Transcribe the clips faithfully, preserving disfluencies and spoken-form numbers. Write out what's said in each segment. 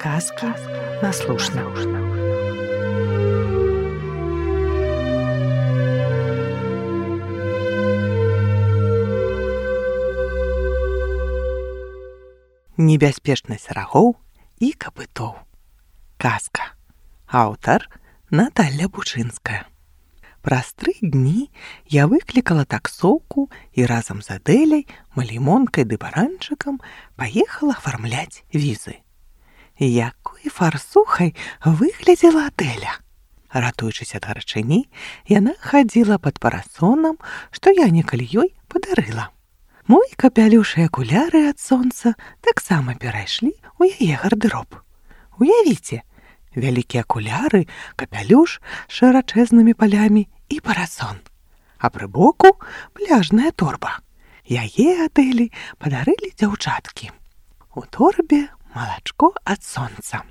Казки на слушна. Небяспечнасць рагоў і капытоў. Казка. Аўтар Наталля Бучынская. Праз тры дні я выклікала таксоўку і разам з Адэляй, Малімонкай ды Баранчыкам паехала афармляць візы. Якой фарсухай выглядзела Адэля! Ратуючыся ад гарачыні, яна хадзіла пад парасонам, што я некалі ёй падарыла. Мой капялюш і акуляры ад сонца таксама перайшлі ў яе гардэроб. Уявіце, вялікія акуляры, капялюш з шырачэзнымі палямі і парасон. А пры боку пляжная торба. Яе Адэлі падарылі дзяўчаткі. У торбе малачко ад сонца.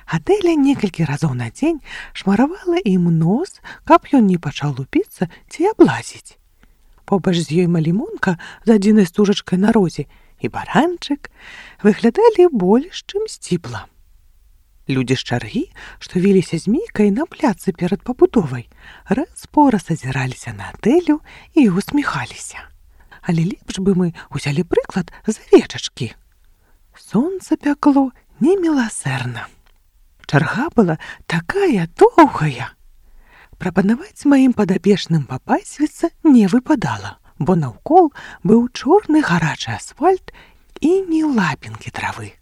Адэля некалькі разоў на дзень шмаравала ім нос, каб ён не пачаў лупіцца ці аблазіць. Побач з ёй Малімонка з адзінай стужачкай на розе і Баранчык выглядалі больш, чым сціпла. Людзі з чаргі, што віліся змейкай на пляцы перад пабудовай, раз-пораз азіраліся на Адэлю і усміхаліся. Але лепш бы мы ўзялі прыклад з авечачкі. Сонца пякло неміласэрна. Чарга была такая доўгая. Прапанаваць маім падапечным папасвіцца не выпадала, бо наўкол быў чорны гарачы асфальт і ні лапінкі травы.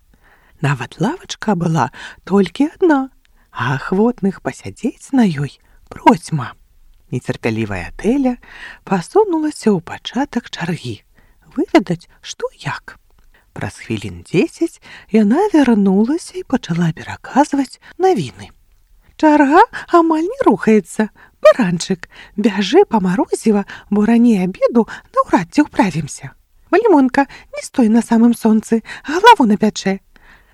Нават лавачка была толькі адна, а ахвотных пасядзець на ёй процьма. Нецярпялівая Адэля пасунулася ў пачатак чаргі, выведаць, што як. Праз хвілін дзесяць яна вярнулася і пачала пераказваць навіны. Чарга амаль не рухаецца. Баранчык, бяжы па марозіва, бо раней абеду наўрад ці ўправімся. Малімонка, не стой на самым сонцы, галаву напячэ.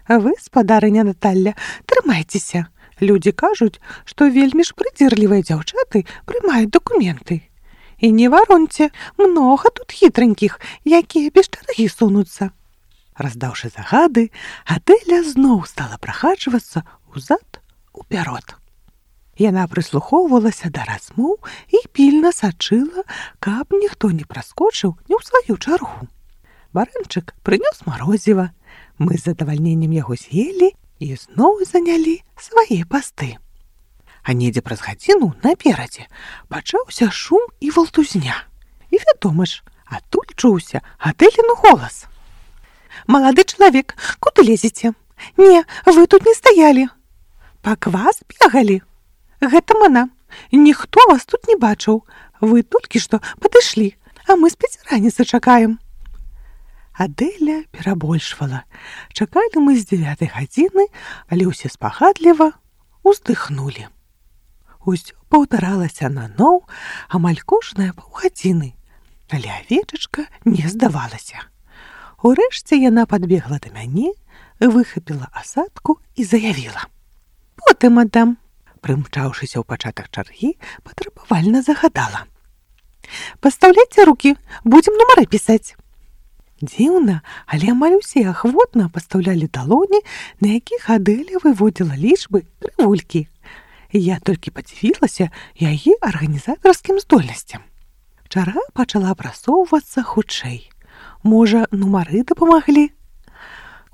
А вы, спадарыня Наталля, трымайцеся. Людзі кажуць, што вельмі ж прыдзірлівыя дзяўчаты прымаюць дакументы. І не вароньце, многа тут хітранькіх, якія без чаргі сунуцца. Раздаўшы загады, Адэля зноў стала прахаджвацца ўзад уперод. Яна прыслухоўвалася да размоў і пільна сачыла, каб ніхто не праскочыў не ў сваю чаргу. Баранчык прынёс марозіва. Мы з задавальненнем яго з'елі і зноў занялі свае пасты. А недзе праз гадзіну наперадзе пачаўся шум і валтузня. І вядома ж, адтуль чуўся Адэлін голас. «Малады чалавек, куды лезеце? Не, вы тут не стаялі. Па квас бегалі. Гэта мана. Ніхто вас тут не бачыў. Вы толькі што падышлі, а мы спецраніцы чакаем». Адэля перабольшвала. Чакалі мы з дзевятай гадзіны, але ўсе спагадліва уздыхнулі. Усё паўтаралася наноў амаль кожныя паўгадзіны, але авечачка не здавалася. Урэшце яна падбегла да мяне, выхапіла асадку і заявіла. «Потым аддам». Прымчаўшыся ў пачатак чаргі, патрабавальна загадала. «Пастаўляйце рукі, будзем нумары пісаць». Дзіўна, але амаль усе ахвотна пастаўлялі далоні, на якіх Адэля выводзіла лічбы крывулькі. Я толькі падзівілася яе арганізатарскім здольнасцям. Чарга пачала прасоўвацца хутчэй. Можа, нумары дапамаглі?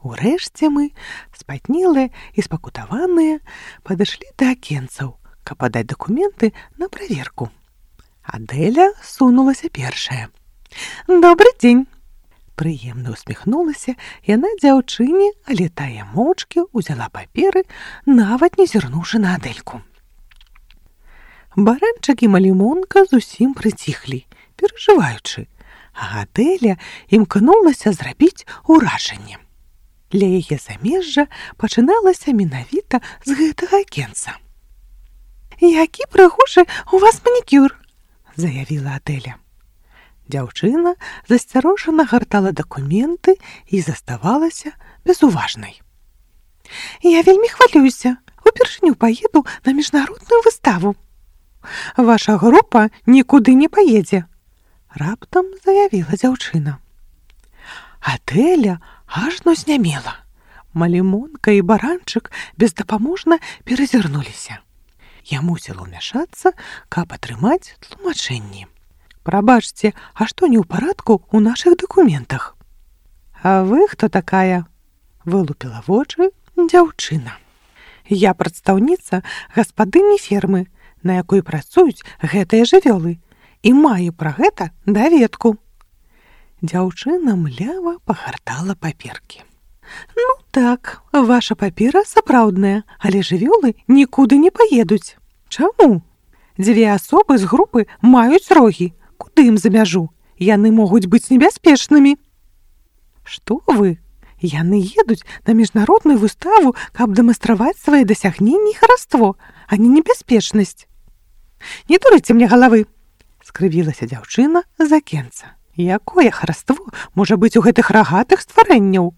Урэшце мы, спатнелыя і спакутаваныя, падышлі да акенцаў, каб падаць дакументы на праверку. Адэля сунулася першая. «Добры дзень!» Прыемна усміхнулася яна дзяўчыне, але тая моўчкі ўзяла паперы, нават не зірнуўшы на Адэльку. Баранчык і Малімонка зусім прыціхлі, перажываючы, а Адэля імкнулася зрабіць уражанне. Для яе замежжа пачыналася менавіта з гэтага акенца. «Які прыгожы у вас манікюр!» – заявіла Адэля. Дзяўчына засцярожана гартала дакументы і заставалася безуважнай. «Я вельмі хвалююся. Упершыню паеду на міжнародную выставу. Ваша група нікуды не паедзе», – раптам заявіла дзяўчына. Адэля ажно знямела. Малімонка і баранчык бездапаможна перазірнуліся. Я мусіла ўмяшацца, каб атрымаць тлумачэнні. Прабачце, а што не ў парадку ў нашых дакументах? А вы хто такая? Вылупіла вочы дзяўчына. Я прадстаўніца гаспадыні фермы, на якой працуюць гэтыя жывёлы, і маю пра гэта даведку. Дзяўчына млява пагартала паперкі. Ну так, ваша папера сапраўдная, але жывёлы нікуды не паедуць. Чаму? Дзве асобы з групы маюць рогі. Куды ім за мяжу? Яны могуць быць небяспечнымі. Што вы? Яны едуць на міжнародную выставу, каб дэманстраваць свае дасягненні і хараство, а не небяспечнасць. Не дурыце мне галавы, скрывілася дзяўчына з акенца. Якое хараство можа быць у гэтых рагатых стварэнняў?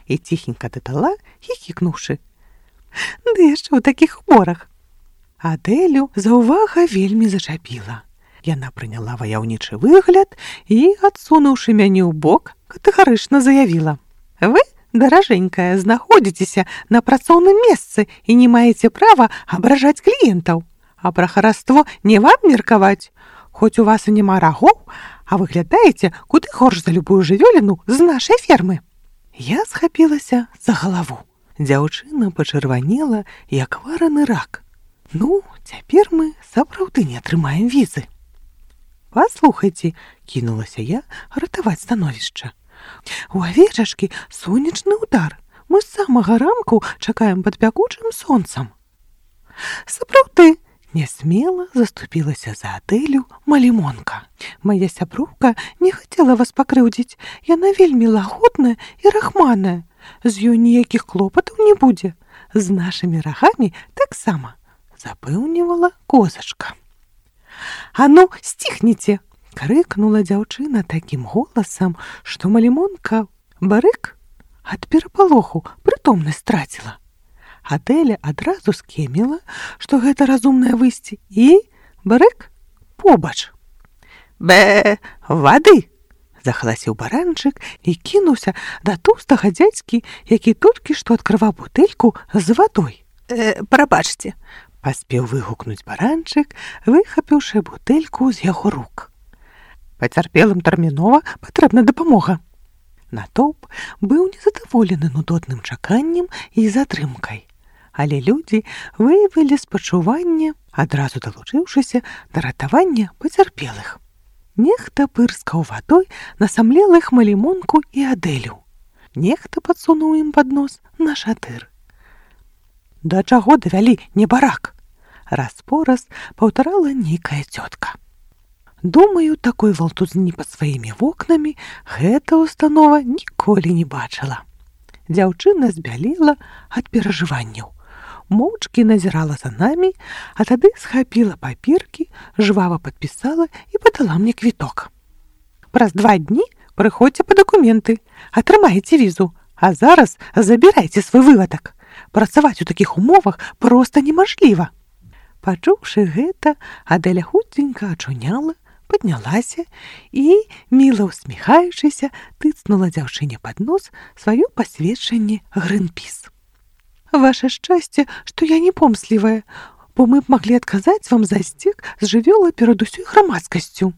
І ціхенька дадала, хіхікнуўшы. Ды яшчэ ў такіх уборах. Адэлю заўвага вельмі зачапіла. Яна прыняла ваяўнічы выгляд і, адсунуўшы мяне ў бок, катэгарычна заявіла. Вы, даражэнькая, знаходзіцеся на працоўным месцы і не маеце права абражаць кліентаў. А пра хараство не вам меркаваць. Хоць у вас і няма рагоў, а выглядаеце куды горш за любую жывёліну з нашай фермы. Я схапілася за галаву. Дзяўчына пачырванела, як вараны рак. Ну, цяпер мы сапраўды не атрымаем візы. Паслухайце, кінулася я ратаваць становішча. У авечачкі сонечны удар. Мы з самага ранку чакаем пад пякучым сонцам. Сапраўды, нясмела заступілася за Адэлю Малімонка. Мая сяброўка не хацела вас пакрыўдзіць. Яна вельмі лагодная і рахманая. З ёй ніякіх клопатаў не будзе. З нашымі рагамі таксама, запэўнівала козачка. А ну, сціхніце! Крыкнула дзяўчына такім голасам, што Малімонка барык ад перапалоху прытомнасць страціла. Адэля адразу скеміла, што гэта разумнае выйсце, і барык побач. Бэ, вады! Захласіў баранчык і кінуўся да тоўстага дзядзькі, які толькі што адкрываў бутэльку з вадой. Э, прабачце, паспеў выгукнуць баранчык, выхапіўшы бутэльку з яго рук. Пацярпелым тэрмінова патрэбна дапамога. Натоўп быў незадаволены нудотным чаканнем і затрымкай. Але людзі выявілі спачуванне, адразу далучыўшыся да ратавання пацярпелых. Нехта пырскаў вадой на самлелых Малімонку і Адэлю. Нехта падсунуў ім пад нос на шатыр. Да чаго давялі небарак? Раз-пораз паўтарала нейкая цётка. Думаю, такой валтузні пад сваімі вокнамі гэта установа ніколі не бачыла. Дзяўчына збялела ад перажыванняў. Моўчкі назірала за намі, а тады схапіла паперкі, жвава падпісала і падала мне квіток. Праз два дні прыходзьце па дакументы, атрымаеце візу, а зараз забірайце свой вывадак. Працаваць у такіх умовах проста немажліва. Пачуўшы гэта, Адэля хутенька ачуняла, паднялася і, міла ўсміхаючыся, тыцнула дзяўчыне пад нос сваё пасведчанне Грынпіс. Ваше шчасце, што я не помслівая, бо мы б маглі адказаць вам за сцек з жывёла перад усёй грамадскасцю.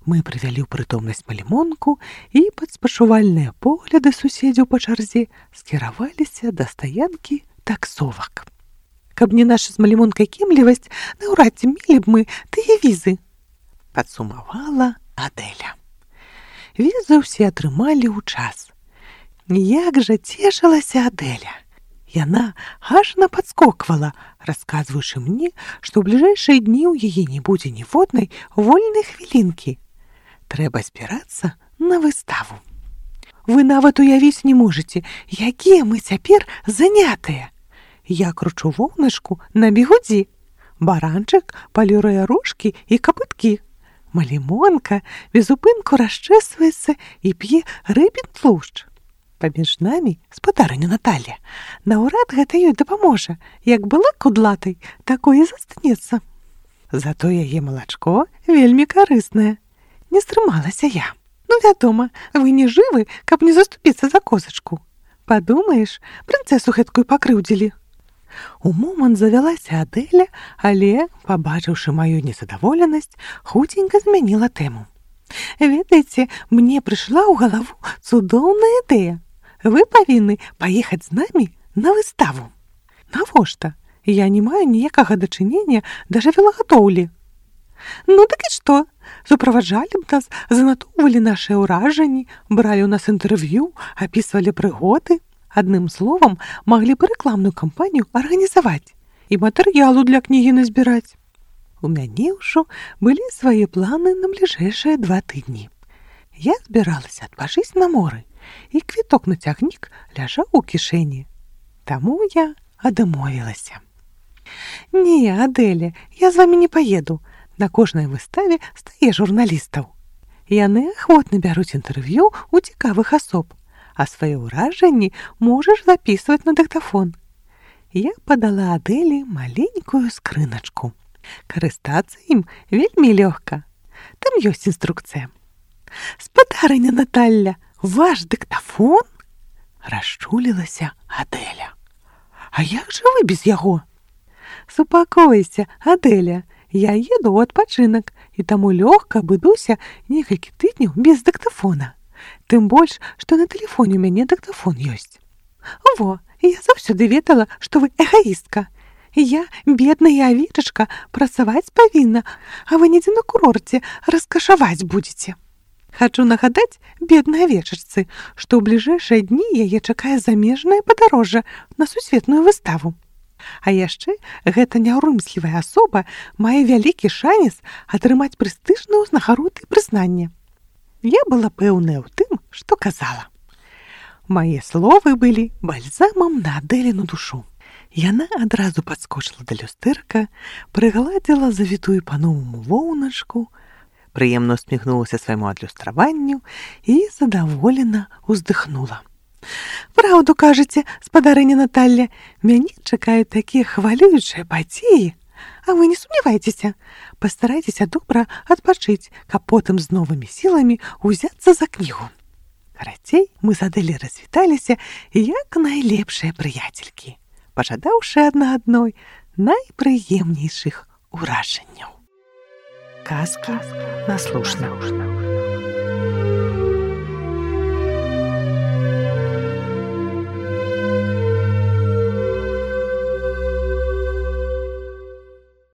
Мы прывялі ў прытомнасць Малімонку і пад спачувальныя погляды суседзяў па чарзе скіраваліся да стаянкі таксовак. Каб не наша з Малімонкай кемлівасць, наўрад ці мелі б мы тыя візы, падсумавала Адэля. Візы ўсе атрымалі ў час. Як жа цешылася Адэля! Яна ажна падскоквала, расказваючы мне, што ў бліжэйшыя дні ў яе не будзе ніводнай вольнай хвілінкі. Трэба збірацца на выставу. Вы нават уявіць не можаце, якія мы цяпер занятыя. Я кручу воўначку на бігудзі. Баранчык паліруе рожкі і капыткі. Малімонка безупынку расчэсваецца і п'е рыбін тлушч. Паміж намі спадарыня Наталля. Наўрад гэта ёй дапаможа. Як была кудлатай, такое застанецца. Зато яе малачко вельмі карыснае. Не стрымалася я. Ну, вядома, вы не жывы, каб не заступіцца за козачку. Падумаеш, прынцэсу гэткую пакрыўдзілі. У момант завялася Адэля, але, пабачыўшы маю незадаволенасць, хуценька змяніла тэму. Ведаеце, мне прыйшла ў галаву цудоўная ідэя. Вы павінны паехаць з намі на выставу. Навошта? Я не маю ніякага дачынення да жывёлагадоўлі. Ну так і што? Суправаджалі б нас, занатоўвалі нашыя ўражанні, бралі ў нас інтэрв'ю, апісвалі прыгоды. Адным словам, маглі б рэкламную кампанію арганізаваць і матэрыялу для кнігі назбіраць. У мяне ўжо былі свае планы на бліжэйшыя два тыдні. Я збіралася адпачыць на моры, і квіток на цягнік ляжаў у кішэні. Таму я адмовілася. Не, Адэля, я з вамі не паеду. На кожнай выставе стае журналістаў. Яны ахвотна бяруць інтэрв'ю ў цікавых асоб, а свае ўражанні можаш запісваць на дыктафон. Я падала Адэлі маленькую скрыначку. Карыстацца ім вельмі лёгка. Там ёсць інструкцыя. Спадарыня Наталля, ваш дыктафон? Расчулілася Адэля. А як жа вы без яго? Супакойся, Адэля, я еду ў адпачынак, і таму лёгка абыдуся некалькі тыдняў без дыктафона. Тым больш, што на тэлефоне ў мяне дыктафон ёсць. Во, я заўсёды ведала, што вы эгоістка. Я, бедная авечачка, працаваць павінна, а вы недзе на курорце раскашаваць будзеце. Хачу нагадаць беднай авечачцы, што ў бліжэйшыя дні яе чакае замежнае падарожжа на сусветную выставу. А яшчэ гэта няўрымслівая асоба мае вялікі шанец атрымаць прэстыжную ўзнагароды і прызнанне. Я была пэўная ў тым, што казала. Мае словы былі бальзамам на Адэліну душу. Яна адразу падскочыла да люстэрка, прыгладзіла завітую па-новаму воўначку, прыемна усміхнулася свайму адлюстраванню і задаволена ўздыхнула. Праўду кажаце, спадарыня Наталля, мяне чакаюць такія хвалюючыя падзеі. А вы не сумнявайцеся, пастарайцеся добра адпачыць, каб потым з новымі сіламі ўзяцца за кнігу. Карацей, мы з Адэлі развіталіся як найлепшыя прыяцелькі, пажадаўшы адна адной найпрыемнейшых уражанняў. Казка наслушна.